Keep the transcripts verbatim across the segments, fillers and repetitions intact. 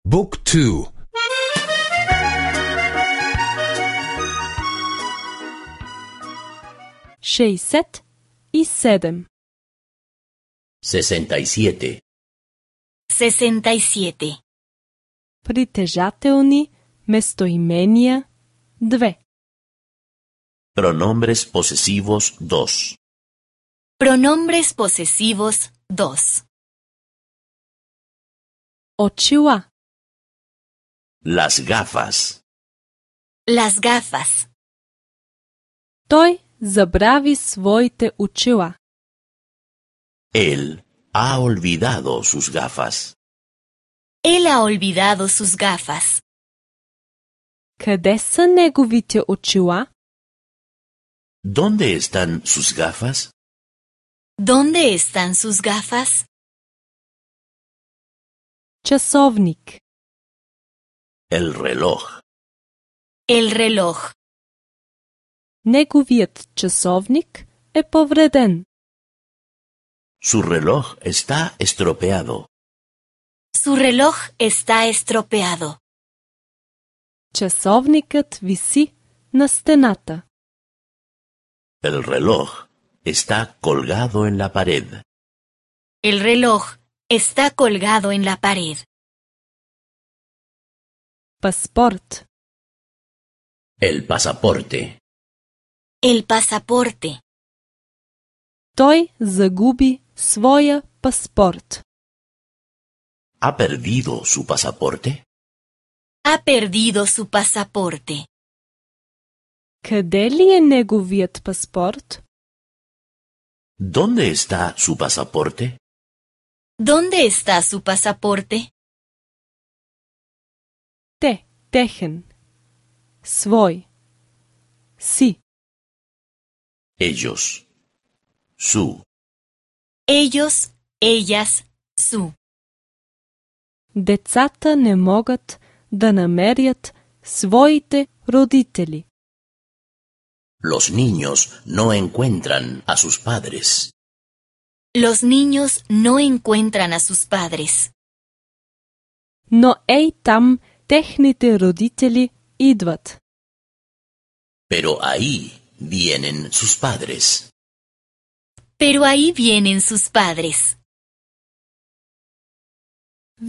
Book two. šezdeset sedam. sesenta y siete. sesenta y siete. Притежателни местоимения две. Pronombres posesivos dos. Pronombres posesivos dos. Очила. Las gafas. Las gafas. Той забрави своите очила. Él ha olvidado sus gafas. Él ha olvidado sus gafas. Къде са неговите очила? ¿Dónde están sus gafas? ¿Dónde están sus gafas? Часовник. El reloj. El reloj. Неговият часовник е повреден. Su reloj está estropeado. Su reloj está estropeado. Часовникът виси на стената. El reloj está colgado en la pared. El reloj está colgado en la pared. Паспорт. El pasaporte. El pasaporte. Той загуби своя паспорт. ¿Ha perdido su pasaporte? Ha perdido su pasaporte. Къде ли е неговият паспорт? ¿Dónde está su pasaporte? ¿Dónde está su pasaporte? Те, техен. Свой. Си. Ellos. Su. Ellos, ellas, su. Децата не могат да намерят своите родители. Los niños no encuentran a sus padres. Los niños no encuentran a sus padres. Но ей там техните родители идват. Pero ahí vienen sus padres. Pero ahí vienen sus padres.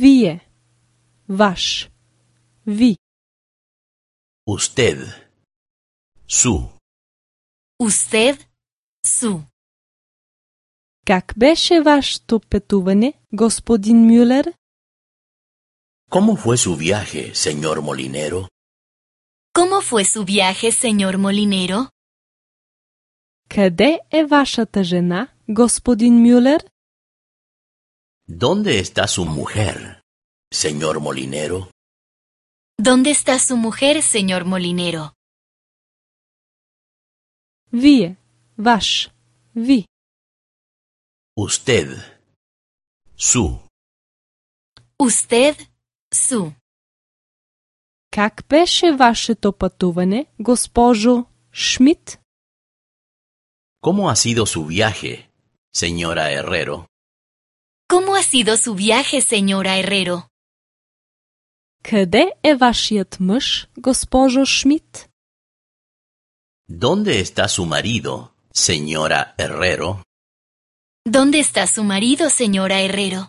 Вие. Ваш. Ви. Usted. Su. Usted, su. Как беше вашето пътуване, господин Мюлер? ¿Cómo fue su viaje, señor Molinero? ¿Cómo fue su viaje, señor Molinero? Къде е вашата жена, господин Мюлер? ¿Dónde está su mujer, señor Molinero? ¿Dónde está su mujer, señor Molinero? Вие. Ваш. Ви. Usted. Su. Usted, su. Как беше вашето пътуване, госпожо Шмидт? ¿Cómo ha sido su viaje, señora Herrero? ¿Cómo ha sido su viaje, señora Herrero? Къде е вашият мъж, госпожо Шмидт? ¿Dónde está su marido, señora Herrero? ¿Dónde está su marido, señora Herrero?